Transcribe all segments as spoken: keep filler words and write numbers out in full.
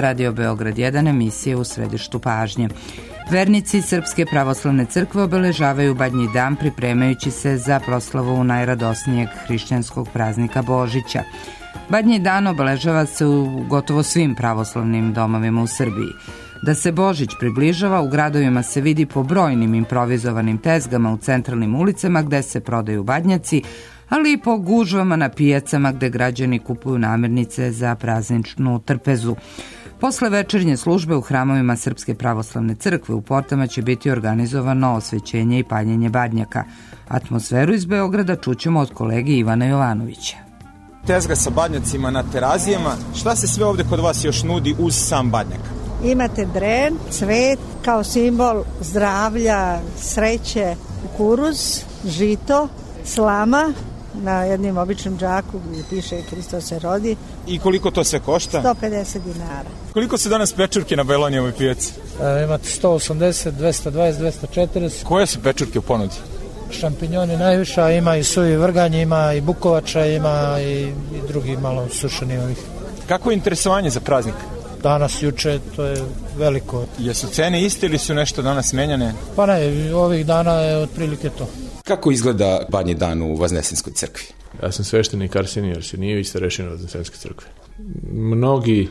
Radio Beograd jedan, emisije U središtu pažnje. Vernici Srpske pravoslavne crkve obeležavaju Badnji dan pripremajući se za proslavu najradosnijeg hrišćanskog praznika Božića. Badnji dan obeležava se u gotovo svim pravoslavnim domovima u Srbiji. Da se Božić približava, u gradovima se vidi po brojnim improvizovanim tezgama u centralnim ulicama gde se prodaju badnjaci, ali i po gužvama na pijacama gde građani kupuju namirnice za prazničnu trpezu. Posle večernje službe u hramovima Srpske pravoslavne crkve u portama će biti organizovano osvećenje i paljenje badnjaka. Atmosferu iz Beograda čućemo od kolege Ivana Jovanovića. Tezga sa badnjacima na terazijama. Šta se sve ovde kod vas još nudi uz sam badnjak? Imate dren, cvet, kao simbol zdravlja, sreće, kukuruz, žito, slama, na jednim običnom džaku gdje piše Hristos se rodi. I koliko to sve košta? sto pedeset dinara. Koliko se danas pečurke na Belonijevoj pijaci? E, imate sto osamdeset, dvesta dvadeset, dvesta četrdeset. Koje su pečurke u ponudi? Šampinjoni najviša, ima i suvi vrganj, ima i bukovača, ima i, i drugi malo sušeni ovih. Kako je interesovanje za praznik? Danas, juče, to je veliko. Jesu cene iste ili su nešto danas menjane? Pa ne, ovih dana je otprilike to. Kako izgleda Badnji dan u Vaznesenskoj crkvi? Ja sam sveštenik Arsenije Arsenijević, starešina Vaznesenske crkve. Mnogi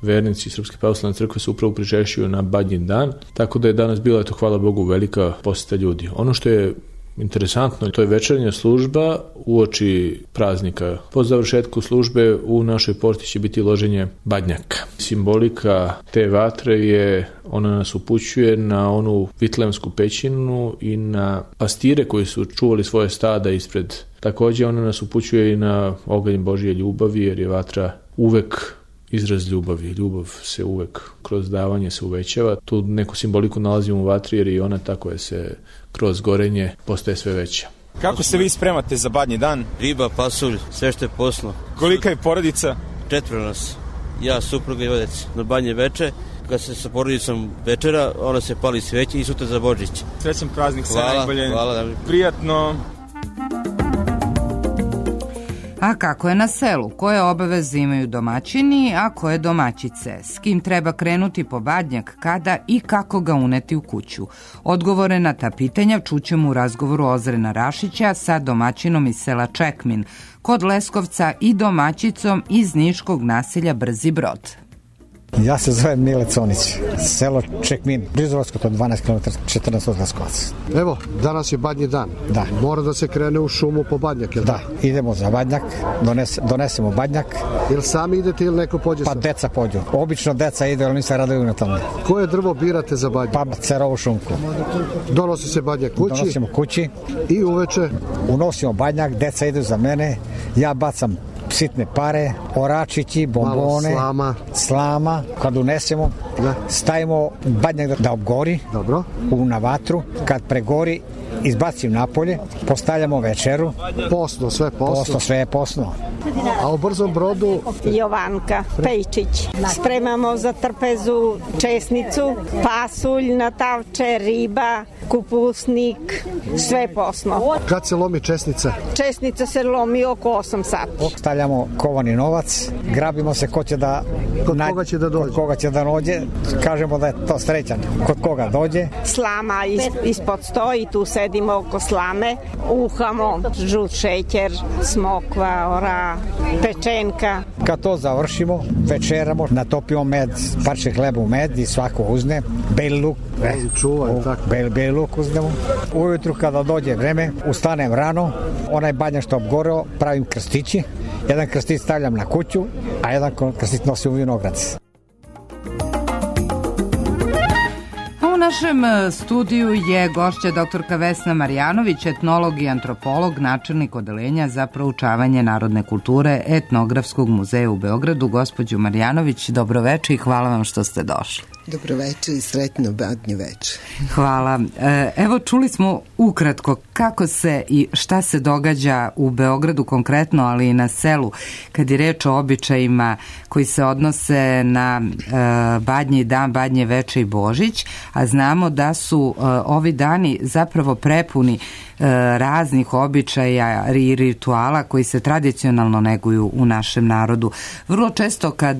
vernici Srpske pravoslavne crkve se upravo prižešćuju na Badnji dan, tako da je danas bila, eto, hvala Bogu, velika poseta ljudi. Ono što je interesantno, to je večernja služba uoči praznika. Po završetku službe u našoj porti će biti loženje badnjaka. Simbolika te vatre je, ona nas upućuje na onu vitlemsku pećinu i na pastire koji su čuvali svoje stada ispred. Također ona nas upućuje i na oganj Božje ljubavi, jer je vatra uvek izraz ljubavi. Ljubav se uvek kroz davanje se uvećava. Tu neku simboliku nalazimo u vatri, jer i ona tako je se kroz gorenje postaje sve veća. Kako se vi spremate za Badnji dan? Riba, pasulj, sve što je poslo. Kolika je porodica? Četvoro nas. Ja, supruga i odec. Na Badnje veče, kad se sa porodicom večera, ona se pali sveće i sutra za Božić. Srećan praznik, sve hvala, najbolje. Hvala. Prijatno. A kako je na selu? Koje obaveze imaju domaćini, a koje domaćice? S kim treba krenuti po badnjak, kada i kako ga uneti u kuću? Odgovore na ta pitanja čućemo u razgovoru Ozrena Rašića sa domaćinom iz sela Čekmin, kod Leskovca i domaćicom iz niškog naselja Brzi Brod. Ja se zovem Mile Conić, selo Čekmin, blizu Leskovaca, dvanaest kilometara, četrnaest od Leskovaca. Evo, danas je Badnji dan. Da. Mora da se krene u šumu po badnjak, jel da? Da, idemo za badnjak, dones, donesemo badnjak. Jel sami idete ili neko pođe? Pa deca pođu. Obično deca ide, ali nisam raduju na tome. Koje drvo birate za badnjak? Pa cerovu šunku. Donosi se badnjak kući? Donosimo kući. I uveče? Unosimo badnjak, deca idu za mene, ja bacam sitne pare, oračići, bombone, slama. slama. Kad unesemo, da. Stavimo badnjak da, da obgori. Dobro. U, na vatru. Kad pregori, izbacim napolje, postavljamo večeru. Posno, sve posno. Posno, sve je posno. A u Brzom Brodu? Jovanka Pejčić. Spremamo za trpezu česnicu, pasulj na tavče, riba, kupusnik, sve posno. Kad se lomi česnica? Česnica se lomi oko osam sati. Stavljamo kovani novac, grabimo se ko će da... Kod na... koga će da dođe? Kod koga će da dođe, kažemo da je to srećan. Kod koga dođe. Slama is, ispod stoji, tu sedimo oko slame, uhamo žut šećer, smokva, ora, pečenka. Kad to završimo, večeramo, natopimo med, parče hleba u med i svako uzne, beli luk, eh, čuvaj, tako. Beli, beli luk uznemo. Ujutru kada dođe vreme, ustanem rano, onaj badnjak što obgoreo, pravim krstići, jedan krstić stavljam na kuću, a jedan krstić nosim u vinograd. U našem studiju je gošća doktorka Vesna Marjanović, etnolog i antropolog, načelnik odeljenja za proučavanje narodne kulture Etnografskog muzeja u Beogradu. Gospođo Marjanović, dobroveče i hvala vam što ste došli. Dobroveče i sretno Badnje veče. Hvala. Evo, čuli smo ukratko kako se i šta se događa u Beogradu konkretno, ali i na selu, kad je reč o običajima koji se odnose na Badnji dan, Badnje veče i Božić, a znamo da su ovi dani zapravo prepuni raznih običaja i rituala koji se tradicionalno neguju u našem narodu. Vrlo često kad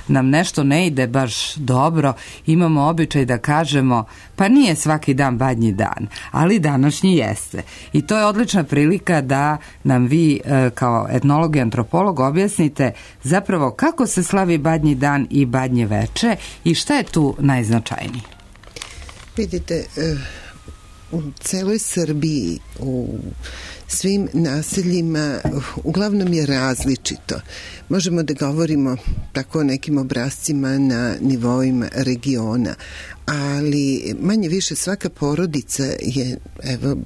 nam nešto ne ide baš dobro, imamo običaj da kažemo pa nije svaki dan badnji dan, ali današnji jeste. I to je odlična prilika da nam vi kao etnolog i antropolog objasnite zapravo kako se slavi badnji dan i badnje veče i šta je tu najznačajnije. Vidite, u celoj Srbiji, u svim naseljima, uglavnom je različito. Možemo da govorimo tako o nekim obrascima na nivoima regiona, ali manje više svaka porodica je, evo,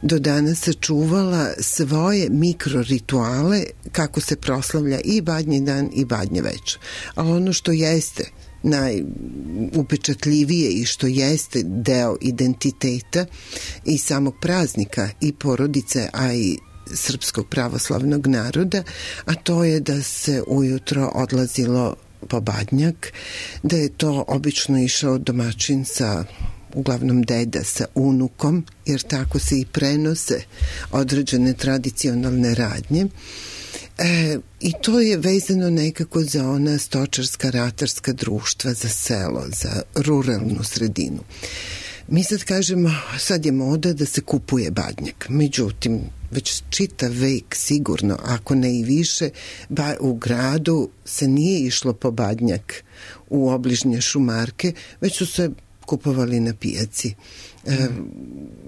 do danas sačuvala svoje mikrorituale kako se proslavlja i badnji dan i badnje veče. Ali ono što jeste najupečatljivije i što jeste deo identiteta i samog praznika i porodice, a i srpskog pravoslavnog naroda, a to je da se ujutro odlazilo po badnjak, da je to obično išao domaćin sa, uglavnom deda, sa unukom, jer tako se i prenose određene tradicionalne radnje. E, I to je vezano nekako za ona stočarska, ratarska društva, za selo, za ruralnu sredinu. Mi sad kažemo, sad je moda da se kupuje badnjak. Međutim, već čitav vek sigurno, ako ne i više, ba, u gradu se nije išlo po badnjak u obližnje šumarke, već su se kupovali na pijaci. E,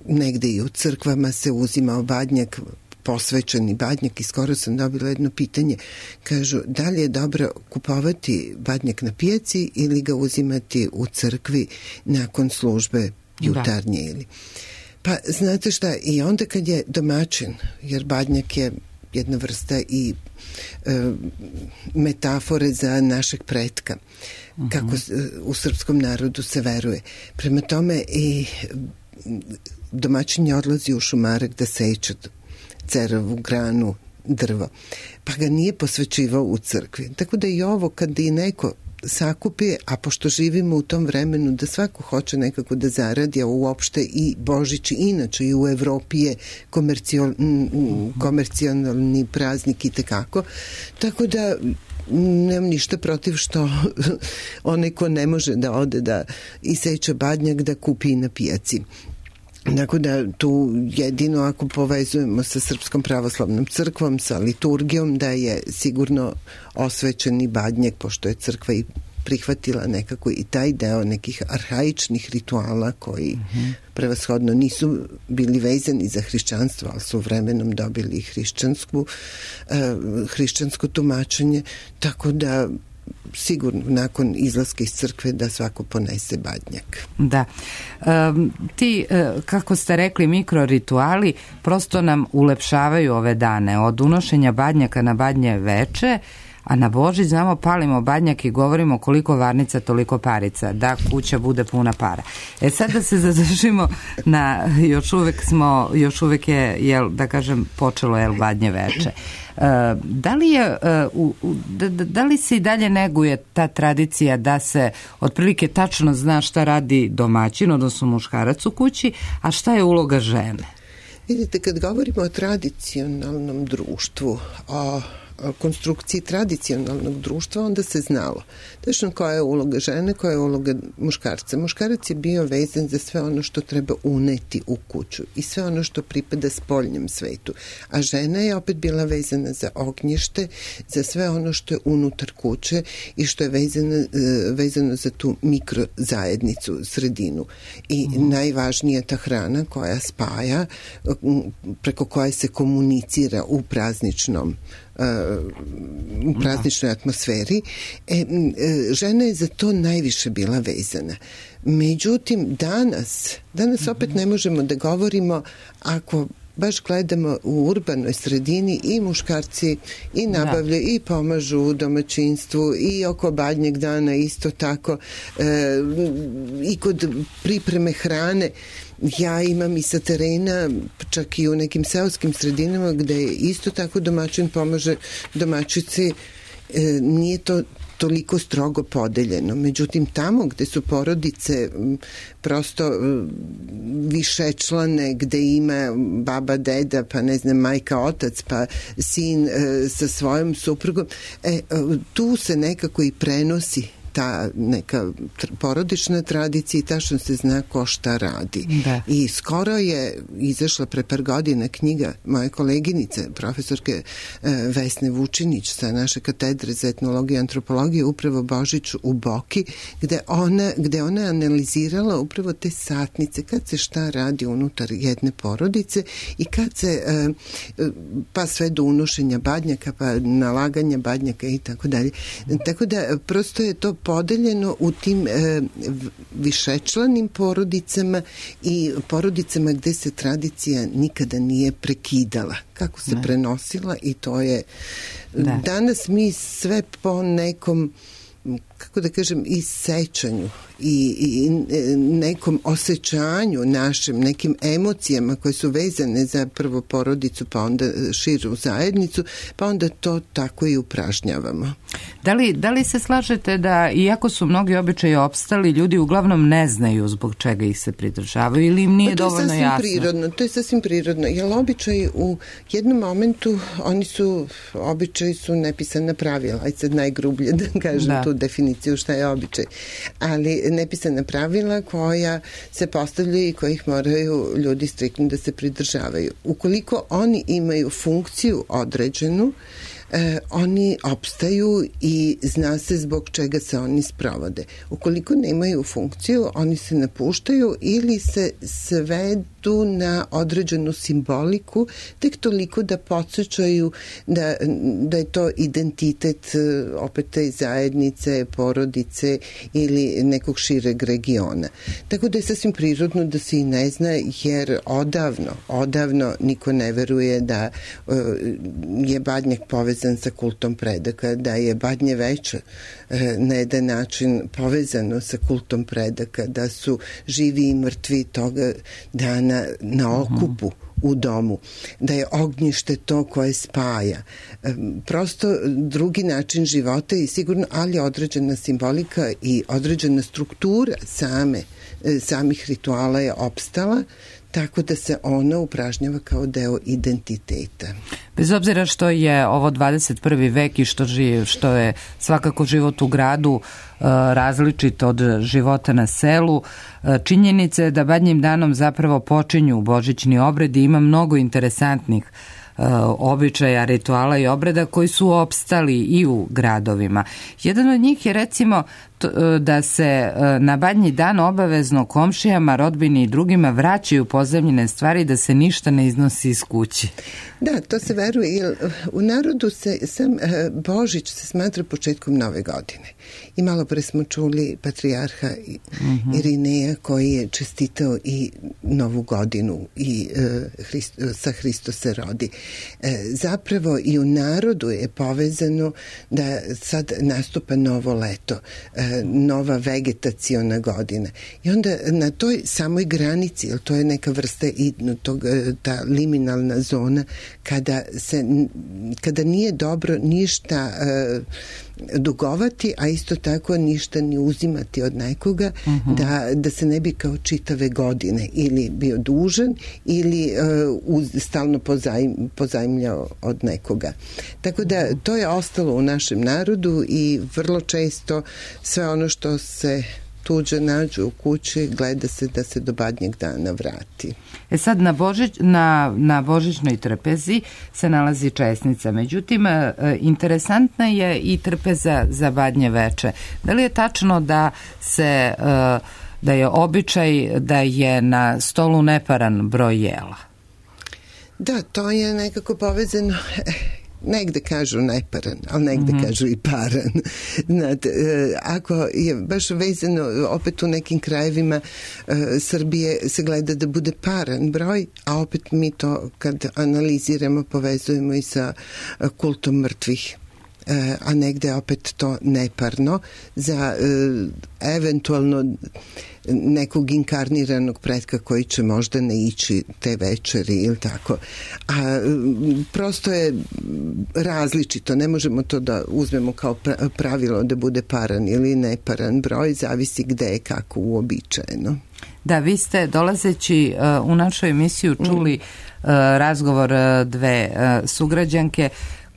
negde i u crkvama se uzimao badnjak, posvećeni badnjak, i skoro sam dobila jedno pitanje. Kažu, da li je dobro kupovati badnjak na pijaci ili ga uzimati u crkvi nakon službe jutarnje ili... Pa, znate šta, i onda kad je domaćin, jer badnjak je jedna vrsta i e, metafore za našeg pretka, uh-huh. kako u srpskom narodu se veruje. Prema tome i domaćin je odlazi u šumarak da seče cerovu granu, drvo, pa ga nije posvećivao u crkvi. Tako da i ovo, kad i neko sakupi, a pošto živimo u tom vremenu da svako hoće nekako da zaradi, a uopšte i Božić inače i u Evropi je komercio, komercionalni praznik i tekako, tako da nemam ništa protiv što onaj ko ne može da ode da iseče badnjak da kupi na pijaci. Tako da tu jedino ako povezujemo sa Srpskom pravoslavnom crkvom, sa liturgijom, da je sigurno osvećeni badnjak, pošto je crkva i prihvatila nekako i taj deo nekih arhaičnih rituala koji mm-hmm. prevashodno nisu bili vezani za hrišćanstvo, ali su vremenom dobili hrišćansku, uh, hrišćansko tumačenje, tako da sigurno nakon izlaska iz crkve da svako ponese badnjak. Da. E, ti, e, kako ste rekli, mikrorituali prosto nam ulepšavaju ove dane. Od unošenja badnjaka na badnje veče, a na Božić znamo palimo badnjak i govorimo koliko varnica, toliko parica, da kuća bude puna para. E sad da se zadržimo na, još uvek smo, još uvek je, jel, da kažem, počelo je badnje veče. Uh, da li je uh, uh, da, da li se i dalje neguje ta tradicija da se otprilike tačno zna šta radi domaćin, odnosno muškarac u kući, a šta je uloga žene? Vidite, kad govorimo o tradicionalnom društvu, o konstrukciji tradicionalnog društva, onda se znalo tačno koja je uloga žene, koja je uloga muškarca. Muškarac je bio vezan za sve ono što treba uneti u kuću i sve ono što pripada spoljnjem svetu. A žena je opet bila vezana za ognjište, za sve ono što je unutar kuće i što je vezano, vezano za tu mikrozajednicu, sredinu. I mm. najvažnija ta hrana koja spaja, preko koje se komunicira u prazničnom u prazničnoj atmosferi. E, žena je za to najviše bila vezana. Međutim, danas, danas opet ne možemo da govorimo, ako baš gledamo u urbanoj sredini, i muškarci i nabavljaju da. i pomažu u domaćinstvu i oko badnjeg dana isto tako, e, i kod pripreme hrane. Ja imam i sa terena, čak i u nekim seoskim sredinama gde isto tako domaćin pomaže domaćici. E, nije to toliko strogo podeljeno. Međutim, tamo gde su porodice prosto višečlane, gde ima baba, deda, pa ne znam, majka, otac, pa sin sa svojom suprugom, e, tu se nekako i prenosi ta neka porodična tradicija i tačno se zna ko šta radi. Da. I skoro je izašla pre par godina knjiga moje koleginice, profesorke Vesne Vučinić sa naše katedre za etnologiju i antropologiju, upravo Božić u Boki, gde ona, gde ona analizirala upravo te satnice, kad se šta radi unutar jedne porodice i kad se, pa sve do unošenja badnjaka, pa nalaganja badnjaka i tako dalje. Tako da prosto je to podeljeno u tim e, višečlanim porodicama i porodicama gde se tradicija nikada nije prekidala, kako se ne. prenosila i to je da. Danas mi sve po nekom, kako da kažem, i sećanju i, i nekom osjećanju našim, nekim emocijama koje su vezane za prvo porodicu, pa onda širu zajednicu, pa onda to tako i upražnjavamo. Da li, da li se slažete da, iako su mnogi običaji opstali, ljudi uglavnom ne znaju zbog čega ih se pridržavaju ili im nije dovoljno jasno? Prirodno, to je sasvim prirodno, jer običaji u jednom momentu, oni su, običaji su nepisana pravila, aj sad najgrublje da kažem da. tu definiciju šta je običaj, ali nepisana pravila koja se postavljaju i kojih moraju ljudi striktno da se pridržavaju. Ukoliko oni imaju funkciju određenu, E, oni opstaju i zna se zbog čega se oni sprovode. Ukoliko nemaju funkciju, oni se napuštaju ili se svedu na određenu simboliku, tek toliko da podsjećaju da, da je to identitet opet te zajednice, porodice ili nekog šireg regiona. Tako da je sasvim prirodno da se i ne zna, jer odavno, odavno niko ne veruje da uh, je badnjak povezan sa kultom predaka, da je Badnje veče na jedan način povezano sa kultom predaka, da su živi i mrtvi toga dana na okupu u domu, da je ognjište to koje spaja. Prosto drugi način života i sigurno, ali određena simbolika i određena struktura same, samih rituala je opstala, tako da se ona upražnjava kao deo identiteta. Bez obzira što je ovo dvadeset prvi vek i što, živ, što je svakako život u gradu uh, različit od života na selu, uh, činjenica je da Badnjim danom zapravo počinju božićni obredi, ima mnogo interesantnih uh, običaja, rituala i obreda koji su opstali i u gradovima. Jedan od njih je recimo da se na Badnji dan obavezno komšijama, rodbini i drugima vraćaju pozajmljene stvari, da se ništa ne iznosi iz kuće. Da, to se veruje, jer u narodu se sam Božić se smatra početkom nove godine. I malo pre smo čuli patrijarha mm-hmm. Irineja koji je čestitao i novu godinu i uh, Hrist, sa Hristo se rodi. E, zapravo i u narodu je povezano da sad nastupa novo leto, e, nova vegetaciona godina. I onda na toj samoj granici, jer to je neka vrsta i tog, ta liminalna zona, kada se, kada nije dobro ništa uh, dugovati, a isto tako ništa ni uzimati od nekoga, uh-huh. da, da se ne bi kao čitave godine ili bio dužan ili uh, uz, stalno pozajm, pozajmljao od nekoga. Tako da to je ostalo u našem narodu i vrlo često sve ono što se tuđe nađu u kući, gleda se da se do Badnjeg dana vrati. E sad, na, Božić, na, na božićnoj trpezi se nalazi česnica. Međutim, interesantna je i trpeza za Badnje veče. Da li je tačno da se da je običaj da je na stolu neparan broj jela? Da, to je nekako povezano. Negde kažu neparan, ali negde mm-hmm. kažu i paran. Znate, ako je baš vezano opet u nekim krajevima uh, Srbije se gleda da bude paran broj, a opet mi to kad analiziramo povezujemo i sa uh, kultom mrtvih. Uh, a negde opet to neparno za uh, eventualno nekog inkarniranog pretka koji će možda ne ići te večeri ili tako. A prosto je različito, ne možemo to da uzmemo kao pravilo da bude paran ili neparan broj, zavisi gde je kako uobičajeno. Da, vi ste dolazeći uh, u našu emisiju čuli uh, razgovor uh, dve uh, sugrađanke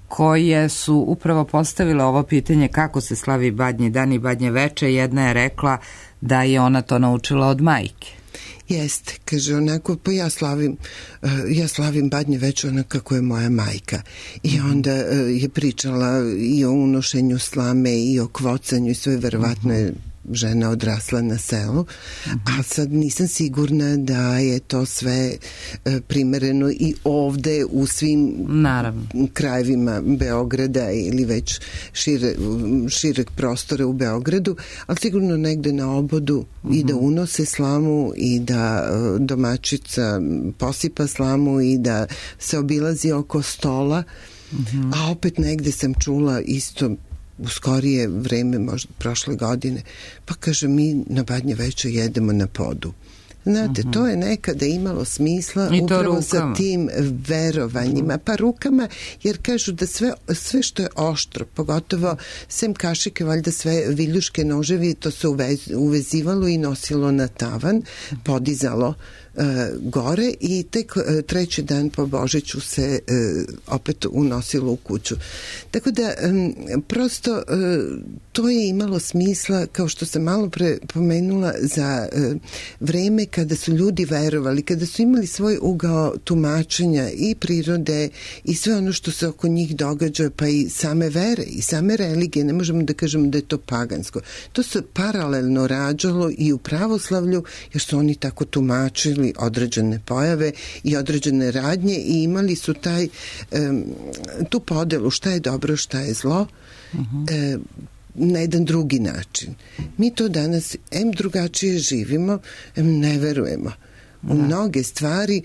koje su upravo postavile ovo pitanje kako se slavi Badnji dan i Badnje veče. Jedna je rekla da je ona to naučila od majke. Jeste, kaže onako, pa ja slavim, uh, ja slavim Badnje veče onako kako je moja majka. I onda uh, je pričala i o unošenju slame i o kvocanju i sve, verovatno je žena odrasla na selu, a sad nisam sigurna da je to sve e, primereno i ovde u svim Naravno. krajevima Beograda ili već šire, šireg prostora u Beogradu, ali sigurno negde na obodu uh-huh. i da unose slamu i da e, domaćica posipa slamu i da se obilazi oko stola, uh-huh. a opet negde sam čula isto u skorije vreme, možda prošle godine, pa kaže mi na Badnje veče jedemo na podu. Znate, uh-huh. to je nekada imalo smisla upravo sa tim verovanjima, pa rukama, jer kažu da sve, sve što je oštro, pogotovo sem kašike, valjda sve viljuške noževi, to se uvez, uvezivalo i nosilo na tavan, podizalo Uh, gore i tek uh, treći dan po Božiću se uh, opet unosilo u kuću. Tako da um, prosto uh, to je imalo smisla, kao što sam malo pre pomenula, za uh, vreme kada su ljudi verovali, kada su imali svoj ugao tumačenja i prirode i sve ono što se oko njih događa, pa i same vere i same religije, ne možemo da kažemo da je to pagansko. To se paralelno rađalo i u pravoslavlju, jer su oni tako tumačili određene pojave i određene radnje i imali su taj um, tu podelu šta je dobro, šta je zlo, uh-huh. um, na jedan drugi način. Mi to danas em drugačije živimo, em ne verujemo u da. mnoge stvari,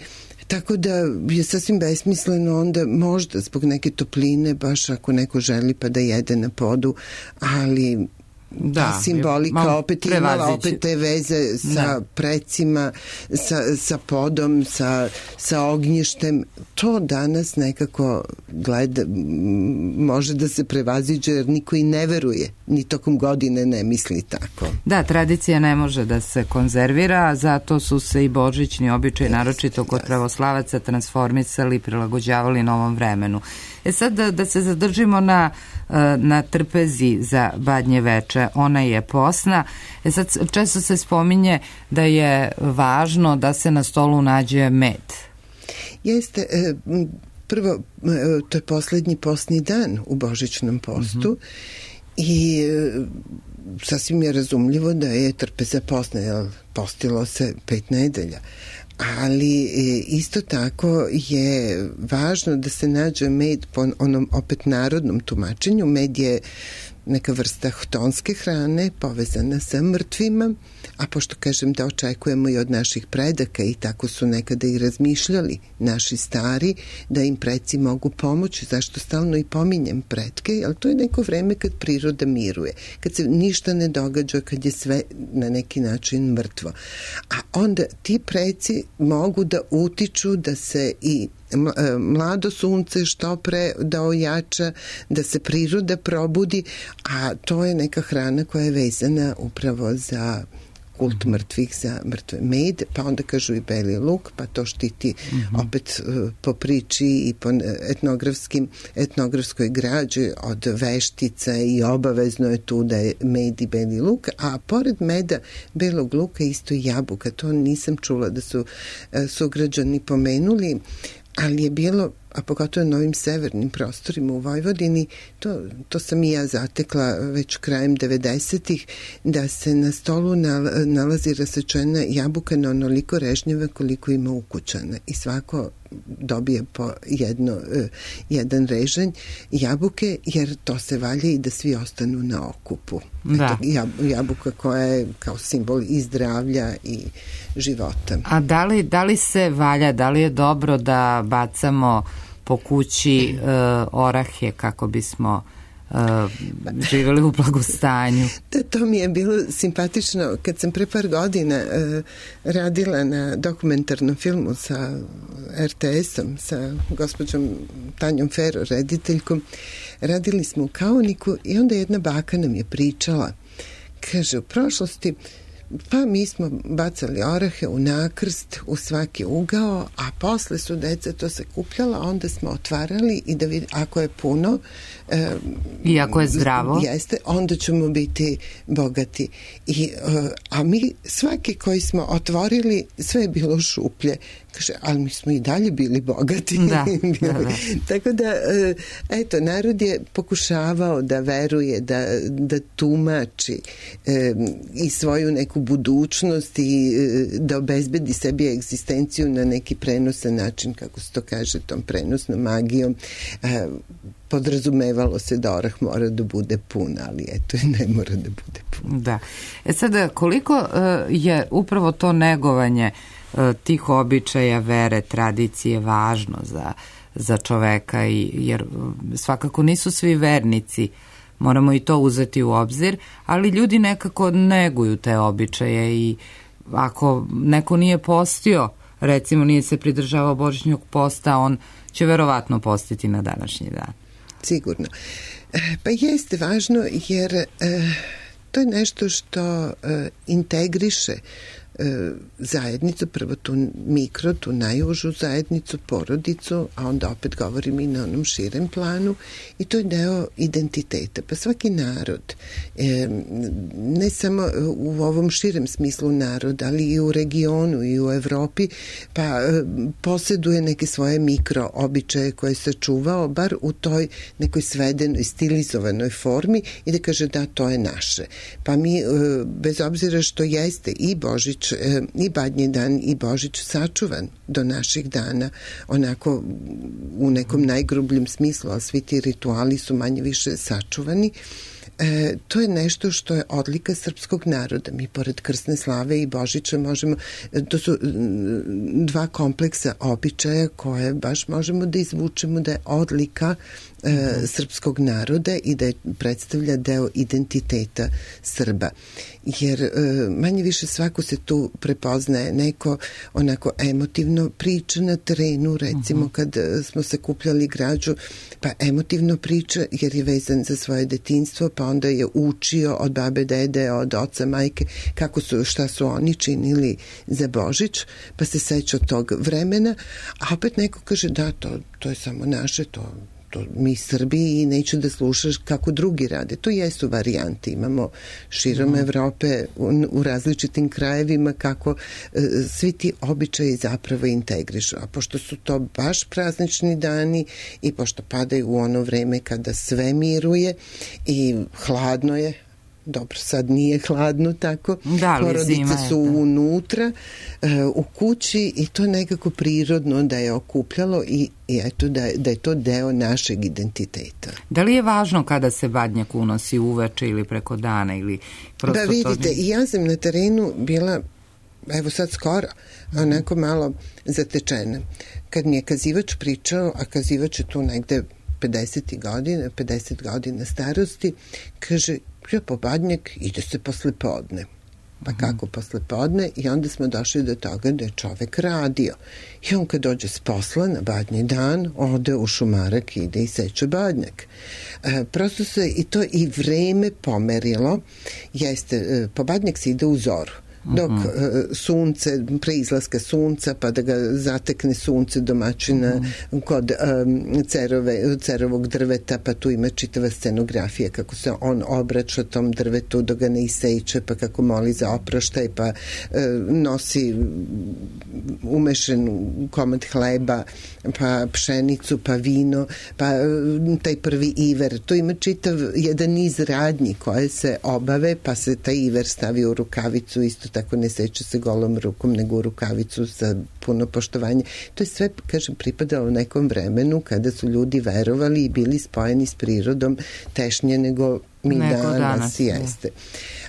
tako da je sasvim besmisleno onda možda zbog neke topline, baš ako neko želi pa da jede na podu, ali da, ta simbolika opet imala opet te veze sa da. precima, sa, sa podom, sa, sa ognjištem. To danas nekako gleda, može da se prevaziđe jer niko i ne veruje, ni tokom godine ne misli tako. Da, tradicija ne može da se konzervira, zato su se i božićni običaj, naročito kod pravoslavaca, transformisali i prilagođavali novom vremenu. E sad da, da se zadržimo na, na trpezi za Badnje veče, ona je posna. E sad često se spominje da je važno da se na stolu nađe med. Jeste, prvo, to je poslednji postni dan u božićnom postu mm-hmm. i sasvim je razumljivo da je trpeza posna, jer postilo se pet nedelja. Ali isto tako je važno da se nađe med po onom opet narodnom tumačenju. Med je neka vrsta htonske hrane povezana sa mrtvima, a pošto kažem da očekujemo i od naših predaka i tako su nekada i razmišljali naši stari, da im preci mogu pomoći, zašto stalno i pominjem pretke, ali to je neko vreme kad priroda miruje, kad se ništa ne događa, kad je sve na neki način mrtvo. A onda ti preci mogu da utiču da se i mlado sunce što pre da ojača, da se priroda probudi, a to je neka hrana koja je vezana upravo za kult mrtvih, za mrtve. Med, pa onda kažu i beli luk, pa to štiti mm-hmm. opet uh, po priči i po etnografskim, etnografskoj građi od veštica i obavezno je tu da je med i beli luk, a pored meda, belog luka isto i jabuka. To nisam čula da su uh, sugrađani pomenuli, ali je bilo, a pogotovo na ovim severnim prostorima u Vojvodini, to, to sam i ja zatekla već krajem devedesetih, da se na stolu nalazi rasečena jabuka na onoliko režnjeva koliko ima ukućana i svako dobije po jedno, jedan režanj jabuke, jer to se valja i da svi ostanu na okupu. Da. Eto, jabuka koja je kao simbol i zdravlja i života. A da li, da li se valja, da li je dobro da bacamo po kući uh, orahe kako bismo uh, živjeli u blagostanju. Da, to mi je bilo simpatično kad sam pre par godina uh, radila na dokumentarnom filmu sa er te esom, sa gospođom Tanjom Fero, rediteljkom. Radili smo u Kaoniku i onda jedna baka nam je pričala. Kaže, u prošlosti pa mi smo bacali orahe u nakrst, u svaki ugao, a posle su deca to sakupljala, onda smo otvarali i da vidi, ako je puno e, i ako je zdravo, jeste, onda ćemo biti bogati. I, e, a mi svaki koji smo otvorili, sve je bilo šuplje. Kaže, ali mi smo i dalje bili bogati. Da, da, da. Tako da, eto, narod je pokušavao da veruje, da, da tumači e, i svoju neku budućnost i e, da obezbedi sebi egzistenciju na neki prenosan način, kako se to kaže, tom prenosnom magijom. E, podrazumevalo se da orah mora da bude pun, ali eto, ne mora da bude pun. Da. E sada, koliko uh, je upravo to negovanje tih običaja, vere, tradicije važno za, za čoveka, i, jer svakako nisu svi vernici, moramo i to uzeti u obzir, ali ljudi nekako neguju te običaje i ako neko nije postio, recimo nije se pridržavao božićnog posta, on će verovatno postiti na današnji dan. Sigurno. Pa jeste važno jer e, to je nešto što e, integriše zajednicu, prvo tu mikro, tu najužu zajednicu, porodicu, a onda opet govorim i na onom širem planu, i to je deo identiteta. Pa svaki narod, ne samo u ovom širem smislu narod, ali i u regionu i u Evropi, pa posjeduje neke svoje mikro običaje koje se čuvao, bar u toj nekoj svedenoj, stilizovanoj formi, i da kaže da, to je naše. Pa mi, bez obzira što jeste i Božić i Badnji dan i Božić sačuvan do naših dana, onako u nekom najgrubljem smislu, ali svi ti rituali su manje više sačuvani. E, to je nešto što je odlika srpskog naroda. Mi pored krsne slave i Božića možemo, to su dva kompleksa običaja koje baš možemo da izvučemo da je odlika e, srpskog naroda i da je predstavlja deo identiteta Srba. Jer e, manje više svako se tu prepoznaje, neko onako emotivno priča na terenu, recimo uh-huh. kad smo sakupljali građu, pa emotivno priča jer je vezan za svoje detinjstvo, pa onda je učio od babe, dede, od oca, majke, kako su, šta su oni činili za Božić, pa se seća tog vremena, a opet neko kaže da, to, to je samo naše, to to mi Srbi i neću da slušaš kako drugi rade. To jesu varijante. Imamo širom mm. Evrope u, u različitim krajevima kako e, svi ti običaji zapravo integrišu. A pošto su to baš praznični dani i pošto padaju u ono vreme kada sve miruje i hladno je, dobro, sad nije hladno tako, da, porodice su unutra uh, u kući i to nekako prirodno da je okupljalo i, i eto da, da je to deo našeg identiteta. Da li je važno kada se badnjak unosi uveče ili preko dana ili prosto? Da, vidite, i ja sam na terenu bila, evo sad skoro, onako malo zatečena. Kad mi je kazivač pričao, a kazivač je tu negde pedeset godina, pedeset godina starosti, kaže, ja po badnjak ide se posle podne. Pa kako posle podne? I onda smo došli do toga da je čovek radio. I on kad dođe s posla na badnji dan, ode u šumarak i ide i seče badnjak. E, prosto se i to i vreme pomerilo. Jeste, e, po badnjak se ide u zoru. Dok uh, sunce, pre izlaska sunca, pa da ga zatekne sunce domaćina uh-huh. kod um, cerove, cerovog drveta, pa tu ima čitava scenografija kako se on obraća tom drvetu dok ga ne iseče, pa kako moli za oproštaj, pa uh, nosi umešen komad hleba, pa pšenicu, pa vino, pa uh, taj prvi iver. Tu ima čitav jedan niz radnji koje se obave, pa se taj iver stavi u rukavicu, isto tako ne seče se golom rukom, nego u rukavicu sa puno poštovanja. To je sve, kažem, pripadalo nekom vremenu kada su ljudi verovali i bili spojeni s prirodom tešnje nego mi nego danas, danas jeste.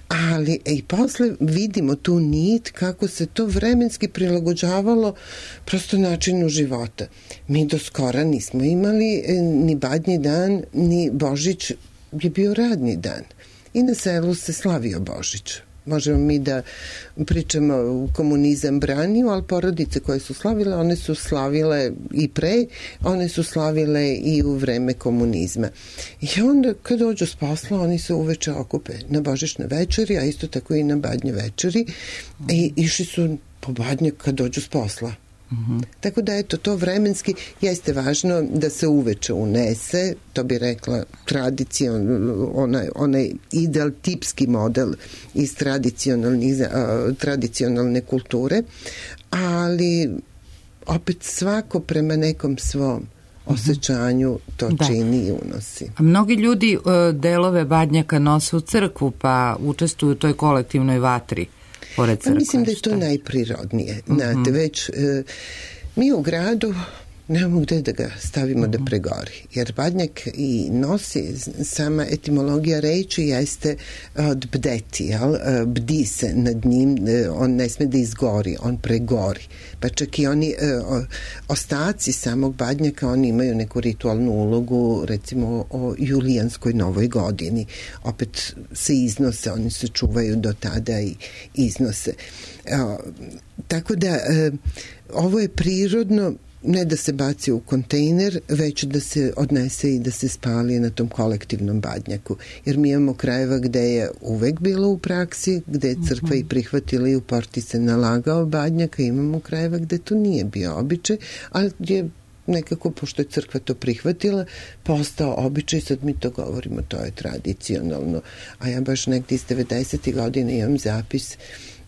Ali e, i posle vidimo tu nit kako se to vremenski prilagođavalo prosto načinu života. Mi do skora nismo imali e, ni badnji dan, ni Božić je bio radni dan i na selu se slavio Božić. Možemo mi da pričamo komunizam branio, ali porodice koje su slavile, one su slavile i pre, one su slavile i u vreme komunizma. I onda kad dođu s posla, oni se uveče okupe na božićne večeri, a isto tako i na badnje večeri i išli su po badnje kad dođu s posla. Mm-hmm. Tako da eto, to vremenski jeste važno da se uveče unese, to bi rekla tradicion, onaj, onaj ideal tipski model iz tradicionalne kulture, ali opet svako prema nekom svom osjećanju to da. Čini i unosi. A mnogi ljudi delove badnjaka nose u crkvu pa učestvuju u toj kolektivnoj vatri. Pa mislim da je to najprirodnije. Mm-hmm. Znate, već e, mi u gradu nemamo gde da ga stavimo mm-hmm. da pregori. Jer badnjak i nosi, sama etimologija reči jeste od bdeti, jel? Bdi se nad njim, on ne sme da izgori, on pregori. Pa čak i oni o, ostaci samog badnjaka, oni imaju neku ritualnu ulogu, recimo o julijanskoj novoj godini. Opet se iznose, oni se čuvaju do tada i iznose. O, tako da e, ovo je prirodno, ne da se baci u kontejner, već da se odnese i da se spali na tom kolektivnom badnjaku. Jer mi imamo krajeva gde je uvek bilo u praksi, gde je crkva i prihvatila i u porti se nalagao badnjak, a imamo krajeva gde to nije bio običaj, ali je nekako, pošto je crkva to prihvatila, postao običaj, sad mi to govorimo, to je tradicionalno. A ja baš negdje iz devedesetih godina imam zapis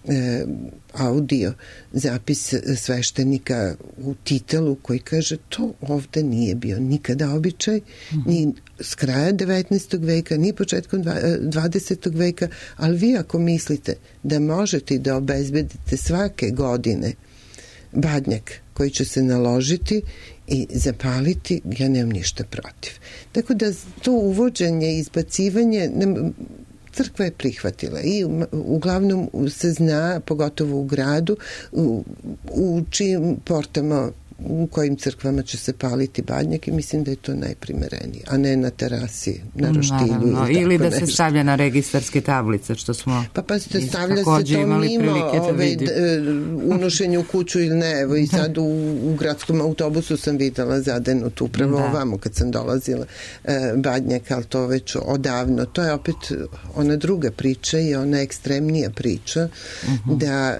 E, audio zapis sveštenika u titelu koji kaže to ovde nije bio nikada običaj, mm-hmm. ni s kraja devetnaestog veka, ni početkom dvadesetog veka, ali vi ako mislite da možete da obezbedite svake godine badnjak koji će se naložiti i zapaliti, ja nemam ništa protiv. Tako da to uvođenje, izbacivanje, ne, crkva je prihvatila i uglavnom se zna, pogotovo u gradu, u, u čijim portama, u kojim crkvama će se paliti badnjak i mislim da je to najprimerenije, a ne na terasi, na roštilju. Ili, ili da nešto. Se stavlja na registarske tablice, što smo pa pa se stavlja se to mimo ove, unošenje u kuću ili ne. Evo i sad u, u gradskom autobusu sam videla zadenut upravo da. Ovamo kad sam dolazila eh, badnjak, ali to već odavno. To je opet ona druga priča i ona ekstremnija priča uh-huh. da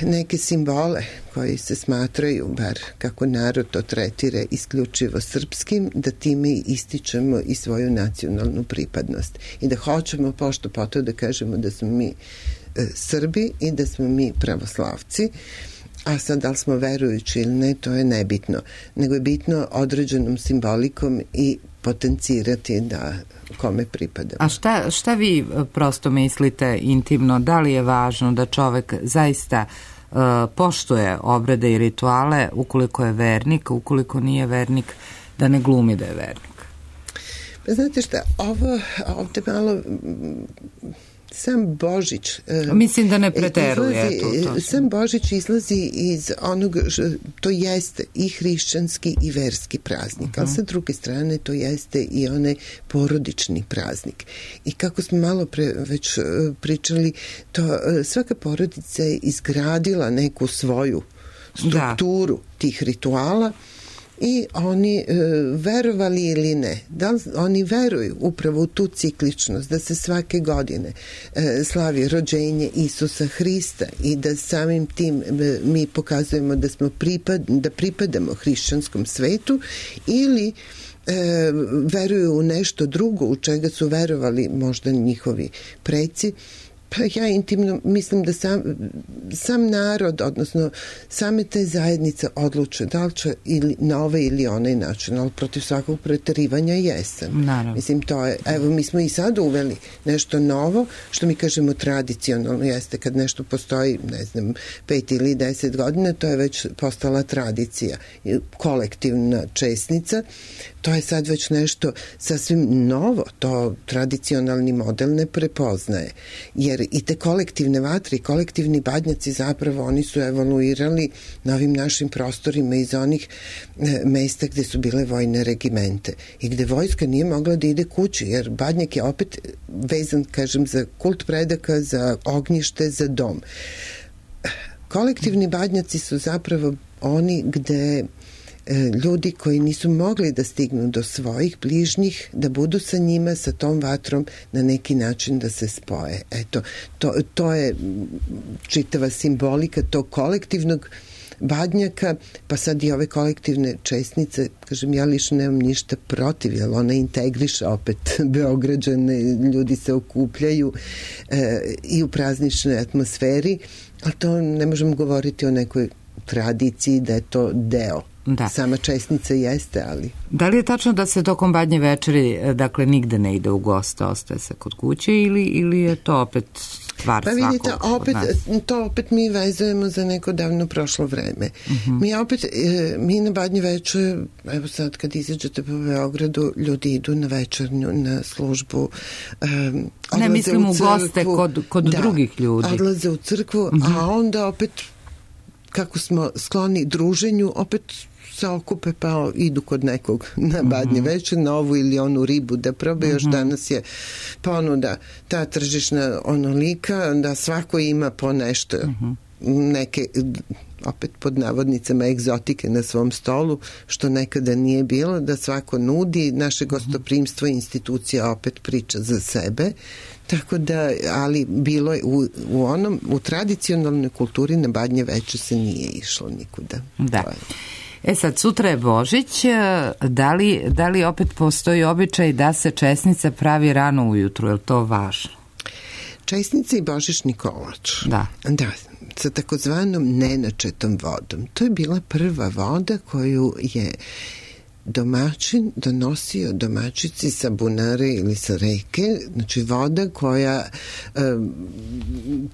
neke simbole koji se smatraju, bar kako narod to tretire, isključivo srpskim, da time ističemo i svoju nacionalnu pripadnost. I da hoćemo pošto poto da kažemo da smo mi e, Srbi i da smo mi pravoslavci, a sad da li smo verujući ili ne, to je nebitno. Nego je bitno određenom simbolikom i potencirati da kome pripadamo. A šta, šta vi prosto mislite intimno, da li je važno da čovek zaista uh, poštuje obrede i rituale ukoliko je vernik, ukoliko nije vernik, da ne glumi da je vernik? Pa znate šta, ovo ovde malo sam Božić mislim da ne preteruje izlazi, to, to. Sam Božić izlazi iz onog, to jeste i hrišćanski i verski praznik, uh-huh. ali sa druge strane to jeste i onaj porodični praznik. I kako smo malo pre već pričali, to svaka porodica je izgradila neku svoju strukturu da. Tih rituala i oni e, verovali ili ne, da li oni veruju upravo u tu cikličnost, da se svake godine e, slavi rođenje Isusa Hrista i da samim tim e, mi pokazujemo da smo pripad, da pripadamo hrišćanskom svetu, ili e, veruju u nešto drugo u čega su verovali možda njihovi preci. Pa ja intimno mislim da sam, sam narod, odnosno same te zajednice odluče da li će ili na ovaj ili onaj način, ali protiv svakog preterivanja jesam. Naravno. Mislim, to je, evo mi smo i sad uveli nešto novo, što mi kažemo tradicionalno, jeste kad nešto postoji, ne znam, pet ili deset godina, to je već postala tradicija, kolektivna česnica, to je sad već nešto sasvim novo, to tradicionalni model ne prepoznaje, jer jer i te kolektivne vatre i kolektivni badnjaci zapravo oni su evoluirali na ovim našim prostorima iz onih e, mesta gde su bile vojne regimente i gde vojska nije mogla da ide kući, jer badnjak je opet vezan, kažem, za kult predaka, za ognjište, za dom. Kolektivni badnjaci su zapravo oni gde ljudi koji nisu mogli da stignu do svojih bližnjih, da budu sa njima, sa tom vatrom, na neki način da se spoje. Eto, to, to je čitava simbolika tog kolektivnog badnjaka, pa sad i ove kolektivne česnice, kažem, ja lično nemam ništa protiv, jer ona integriše opet Beograđane, ljudi se okupljaju e, i u prazničnoj atmosferi, ali to ne možemo govoriti o nekoj tradiciji da je to deo. Da. Sama česnica jeste, ali... Da li je tačno da se tokom badnje večeri, dakle, nigde ne ide u goste, ostaje se kod kuće ili, ili je to opet stvar pa svakog vidite, opet, to opet mi vezujemo za neko davno prošlo vreme. Uh-huh. Mi opet, mi na badnje večer, evo sad kad izađete po Beogradu, ljudi idu na večernju, na službu, um, ne mislim u, u goste kod, kod da, drugih ljudi. Odlaze u crkvu, uh-huh. a onda opet kako smo skloni druženju, opet se okupe pa idu kod nekog na badnje uh-huh. večer, na ovu ili onu ribu da probe, uh-huh. još danas je ponuda ta tržišna onolika da svako ima po nešto, uh-huh. neke opet pod navodnicama egzotike na svom stolu, što nekada nije bilo, da svako nudi, naše gostoprimstvo i institucija opet priča za sebe, tako da, ali bilo je u, u onom, u tradicionalnoj kulturi na badnje večer se nije išlo nikuda. Da. E sad, sutra je Božić, da li, da li opet postoji običaj da se česnica pravi rano ujutru, je li to važno? Česnica i božićni kolač. Da. Da, sa takozvanom nenačetom vodom. To je bila prva voda koju je domaćin donosio domaćici sa bunare ili sa reke, znači voda koja um,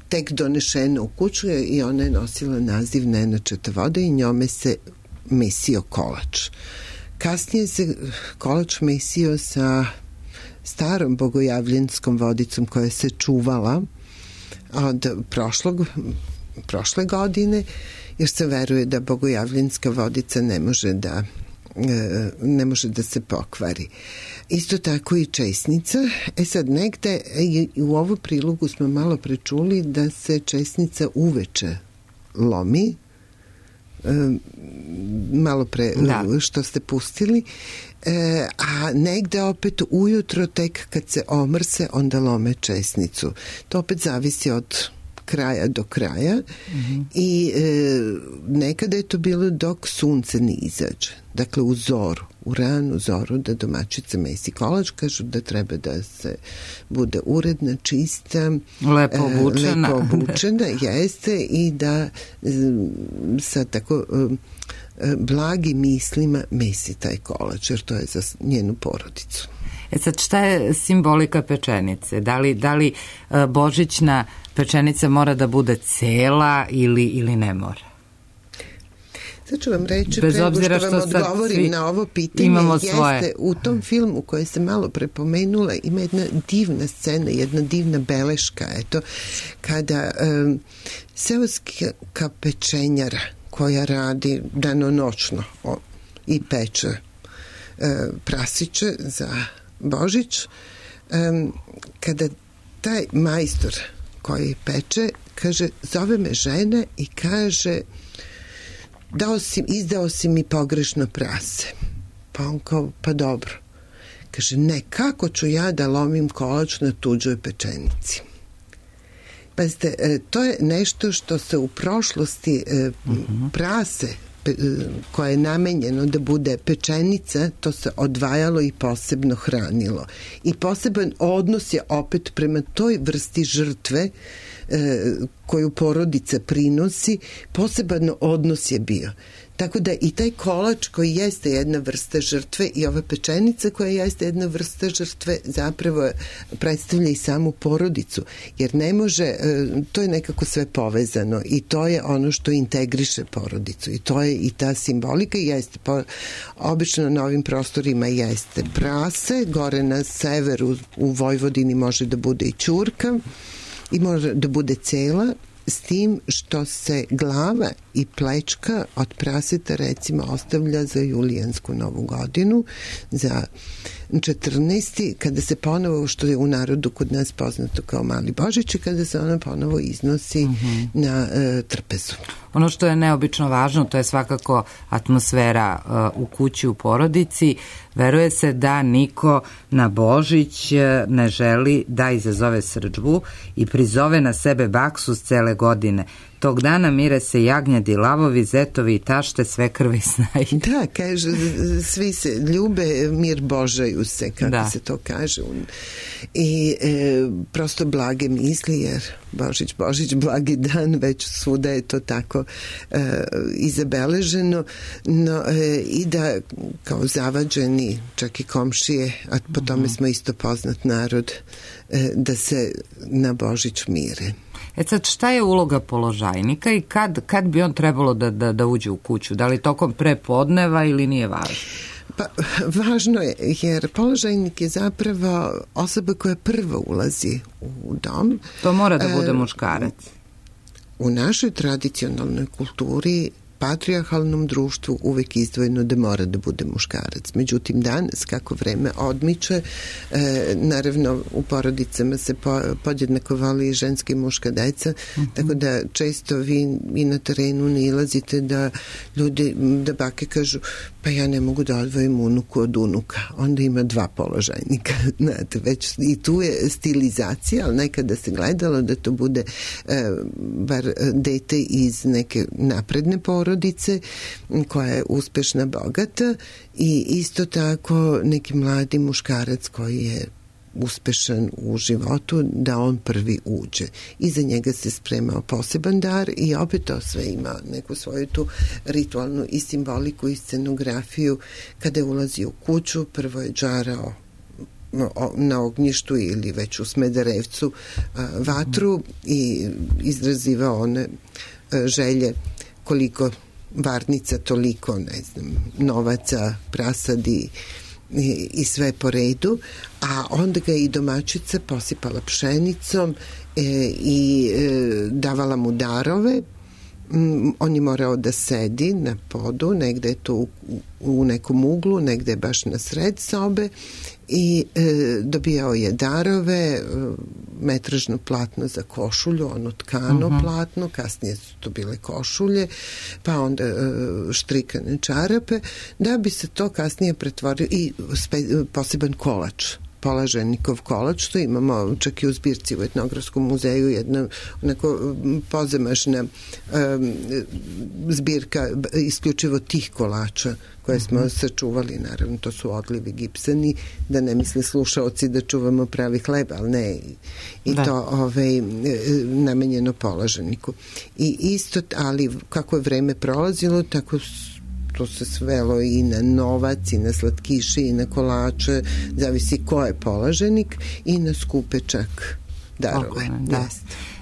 tek donešena u kuću i ona je nosila naziv nenačeta voda i njome se mesio kolač. Kasnije se kolač mesio sa starom bogojavljenskom vodicom koja se čuvala od prošlog, prošle godine, jer se veruje da bogojavljenska vodica ne može da ne može da se pokvari. Isto tako i česnica. E sad, negde u ovu prilogu smo malo prečuli da se česnica uveče lomi, malo pre da. Što ste pustili, e, a negde opet ujutro tek kad se omrse onda lome česnicu. To opet zavisi od kraja do kraja mm-hmm. i e, nekada je to bilo dok sunce ne izađe. Dakle, u zoru, u ranu zoru da domaćica mesi kolač, kažu da treba da se bude uredna, čista, lepo obučena, e, lepo obučena jeste i da e, sa tako e, blagim mislima mesi taj kolač, jer to je za njenu porodicu. E sad, šta je simbolika pečenice? Da li, da li e, božićna pečenica mora da bude cela ili, ili ne mora? Sad ću vam reći, pre nego što vam odgovorim na ovo pitanje, jeste u tom filmu koje se malo prepomenula, ima jedna divna scena, jedna divna beleška, eto, kada um, seoska pečenjara koja radi danonoćno o, i peče uh, prasiće za Božić, um, kada taj majstor koji peče, kaže, zove me žena i kaže, dao si, izdao si mi pogrešno prase. Pa on kao, pa dobro. Kaže, ne, kako ću ja da lomim kolač na tuđoj pečenici? Pazite, to je nešto što se u prošlosti uh-huh. prase koje je namenjeno da bude pečenica, to se odvajalo i posebno hranilo. I poseban odnos je opet prema toj vrsti žrtve e, koju porodica prinosi, poseban odnos je bio. Tako da i taj kolač koji jeste jedna vrsta žrtve i ova pečenica koja jeste jedna vrsta žrtve zapravo predstavlja i samu porodicu, jer ne može, to je nekako sve povezano i to je ono što integriše porodicu i to je i ta simbolika i jeste, po, obično na ovim prostorima jeste prase, gore na severu u Vojvodini može da bude i ćurka, i može da bude cela, s tim što se glava i plečka od praseta recimo ostavlja za julijansku novu godinu, za četrnaesti kada se ponovo, što je u narodu kod nas poznato kao Mali Božić, i kada se ona ponovo iznosi mm-hmm. na e, trpezu. Ono što je neobično važno, to je svakako atmosfera uh, u kući, u porodici. Veruje se da niko na Božić ne želi da izazove srdžbu i prizove na sebe baksuz cele godine. Tog dana mire se jagnjadi, lavovi, zetovi i tašte, sve krvi snaji. Da, kaže, svi se ljube, mir božaju se, kako da. se to kaže. I e, prosto blage misli, jer Božić, Božić, blagi dan, već svuda je to tako e, izabeleženo, no e, i da kao zavađeni, čak i komšije, a po tome smo isto poznat narod, e, da se na Božić mire. E sad, šta je uloga položajnika i kad, kad bi on trebalo da, da, da uđe u kuću? Da li tokom prepodneva ili nije važno? Pa, važno je, jer položajnik je zapravo osoba koja prvo ulazi u dom. To mora da bude muškarac. U našoj tradicionalnoj kulturi, patrijarhalnom društvu, uvek izdvojeno da mora da bude muškarac. Međutim, danas, kako vreme odmiče, e, naravno u porodicama se po, podjednako voli i ženska i muška deca, mm-hmm. tako da često vi i na terenu ne ilazite da ljudi, da bake kažu, pa ja ne mogu da odvojim unuku od unuka. Onda ima dva položajnika. Znate, već i tu je stilizacija, ali nekada se gledalo da to bude e, bar dete iz neke napredne porodice, porodice koja je uspešna, bogata, i isto tako neki mladi muškarac koji je uspešan u životu, da on prvi uđe. Iza njega se spremao poseban dar i opet to sve ima neku svoju tu ritualnu i simboliku i scenografiju. Kada je ulazio u kuću, prvo je džarao na ognjištu ili već u Smederevcu vatru i izrazivao one želje koliko varnica, toliko, ne znam, novaca, prasadi i, i sve po redu, a onda ga i domaćica posipala pšenicom e, i e, davala mu darove. Mm, on je morao da sedi na podu, negde je to u, u nekom uglu, negde je baš na sred sobe, i e, dobijao je darove, e, metražno platno za košulju, ono tkano uh-huh. platno, kasnije su to bile košulje, pa onda e, štrikane čarape, da bi se to kasnije pretvorio i spe, poseban kolač, polaženikov kolač, što imamo čak i u zbirci u Etnografskom muzeju, jedna onako pozamašna um, zbirka isključivo tih kolača koje smo mm-hmm. sačuvali, naravno to su odlivi gipsani, da ne misle slušaoci da čuvamo pravi hleb, ali ne, i da. to ovaj, namenjeno polaženiku. I isto, ali kako je vreme prolazilo, tako to se svelo i na novac, i na slatkiše, i na kolače, zavisi ko je polaženik, i na skupe čak darove. Okay, da.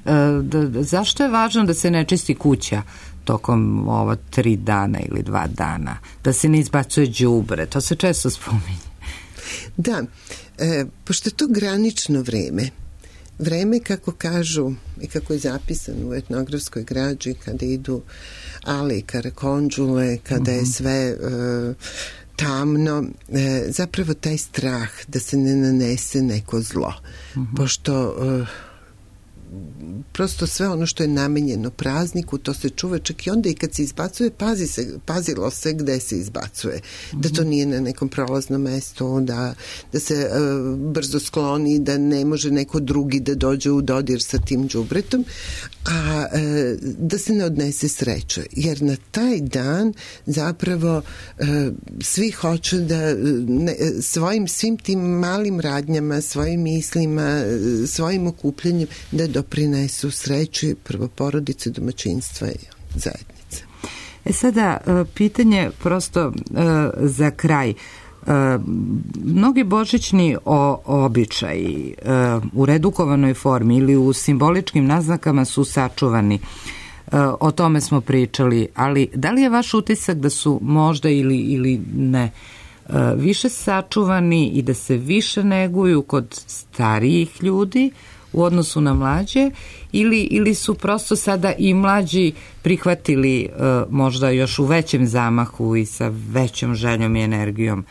E, da, da, zašto je važno da se ne čisti kuća tokom ova tri dana ili dva dana? Da se ne izbacuje đubre, to se često spominje. Da, e, pošto je to granično vreme, vreme, kako kažu i kako je zapisano u etnografskoj građi, kada idu ale i karakonđule, kada uh-huh. je sve uh, tamno, e, zapravo taj strah da se ne nanese neko zlo. Uh-huh. Pošto uh, prosto sve ono što je namenjeno prazniku, to se čuva, čak i onda i kad se izbacuje, pazi se, pazilo se gde se izbacuje. Mm-hmm. Da to nije na nekom prolaznom mestu, da, da se uh, brzo skloni, da ne može neko drugi da dođe u dodir sa tim đubretom, a uh, da se ne odnese sreća. Jer na taj dan zapravo uh, svi hoće da ne, svojim svim tim malim radnjama, svojim mislima, svojim okupljanjem da doprinesu sreći prvo porodice, domaćinstva i zajednice. E sada, pitanje prosto za kraj. Mnogi božićni običaji u redukovanoj formi ili u simboličkim naznakama su sačuvani. O tome smo pričali, ali da li je vaš utisak da su možda ili, ili ne više sačuvani i da se više neguju kod starijih ljudi u odnosu na mlađe ili, ili su prosto sada i mlađi prihvatili uh, možda još u većem zamahu i sa većom željom i energijom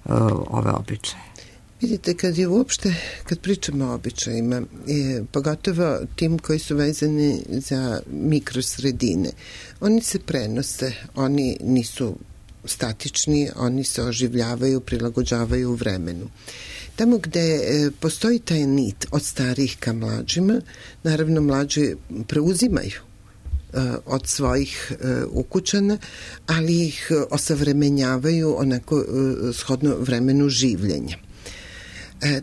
uh, ove običaje? Vidite, kad je uopšte, kad pričamo o običajima, je, pogotovo tim koji su vezani za mikrosredine, oni se prenose, oni nisu statični, oni se oživljavaju, prilagođavaju u vremenu. Tamo gde e, postoji taj nit od starijih ka mlađima, naravno mlađi preuzimaju e, od svojih e, ukućana, ali ih osavremenjavaju onako e, shodno vremenu življenja. E,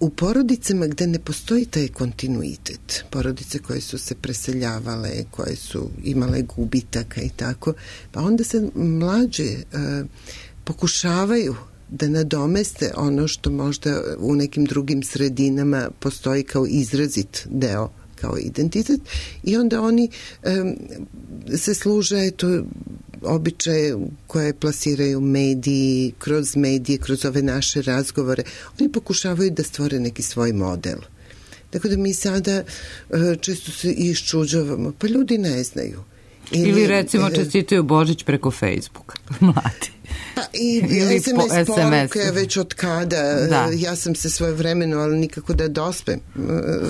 u porodicama gde ne postoji taj kontinuitet, porodice koje su se preseljavale, koje su imale gubitaka i tako, pa onda se mlađe e, pokušavaju da nadomeste ono što možda u nekim drugim sredinama postoji kao izrazit deo, kao identitet, i onda oni e, se služe eto, običaje koje plasiraju mediji, kroz medije, kroz ove naše razgovore. Oni pokušavaju da stvore neki svoj model. Tako da mi sada često se iščuđavamo, pa ljudi ne znaju. Ili, Ili recimo čestitaju Božić preko Facebooka, mladi. Pa i S M S poruke već od kada, da. Ja sam se svoje vremeno, ali nikako da dospem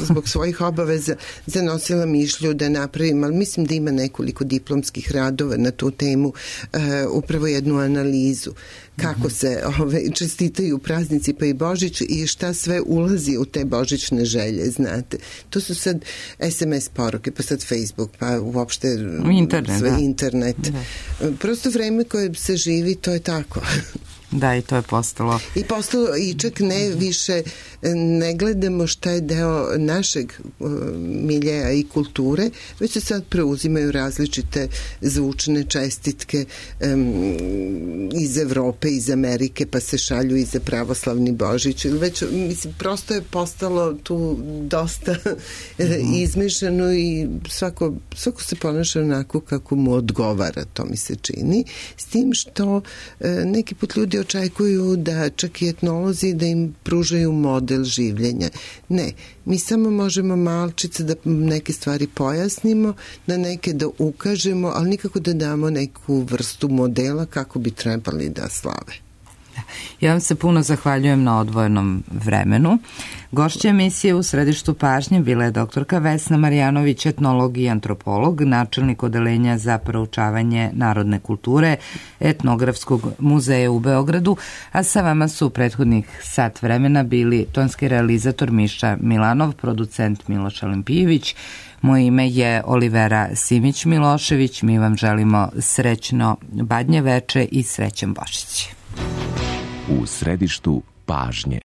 zbog svojih obaveza, zanosila mišlju da napravim, ali mislim da ima nekoliko diplomskih radova na tu temu, uh, upravo jednu analizu kako se ove, čestitaju praznici pa i Božić i šta sve ulazi u te božićne želje, znate. To su sad S M S poruke, pa sad Facebook, pa uopšte internet, sve da. internet. Da. Prosto vreme koje se živi, to je tako. Da, i to je postalo. I postalo, i čak ne više, ne gledamo šta je deo našeg uh, miljeja i kulture, već se sad preuzimaju različite zvučne čestitke um, iz Evrope, iz Amerike, pa se šalju i za pravoslavni Božić. Već, mislim, prosto je postalo tu dosta mm-hmm. izmešano i svako, svako se ponaša onako kako mu odgovara, to mi se čini. S tim što uh, neki put ljudi očekuju da čak i etnolozi da im pružaju model življenja. Ne, mi samo možemo malčice da neke stvari pojasnimo, na neke da ukažemo, ali nikako da damo neku vrstu modela kako bi trebali da slave. Ja vam se puno zahvaljujem na odvojenom vremenu. Gošća emisije u središtu pažnje bila je doktorka Vesna Marjanović, etnolog i antropolog, načelnik odeljenja za proučavanje narodne kulture Etnografskog muzeja u Beogradu, a sa vama su u prethodnih sat vremena bili tonski realizator Miša Milanov, producent Miloš Alimpijević. Moje ime je Olivera Simić-Milošević. Mi vam želimo srećno Badnje veče i srećan Božić. U središtu pažnje.